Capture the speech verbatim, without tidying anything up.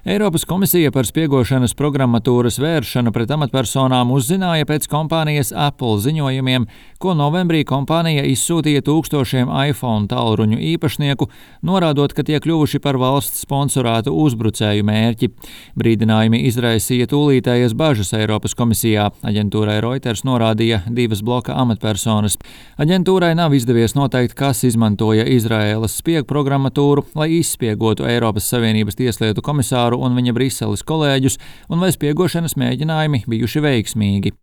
Eiropas komisija par spiegošanas programmatūras vēršanu pret amatpersonām uzzināja pēc kompānijas Apple ziņojumiem, ko novembrī kompānija izsūtīja tūkstošiem iPhone tālruņu īpašnieku, norādot, ka tie kļuvuši par valsts sponsorētu uzbrucēju mērķi. Brīdinājumi izraisīja tūlītējas bažas Eiropas komisijā. Aģentūrai Reuters norādīja divas bloka amatpersonas. Aģentūrai nav izdevies noteikt, kas izmantoja Izraēlas spiegu programmatūru, lai izspiegotu Eiropas Savienības tieslietu komisāru un viņa Briseles kolēģus, un vai spiegošanas mēģinājumi bijuši veiksmīgi.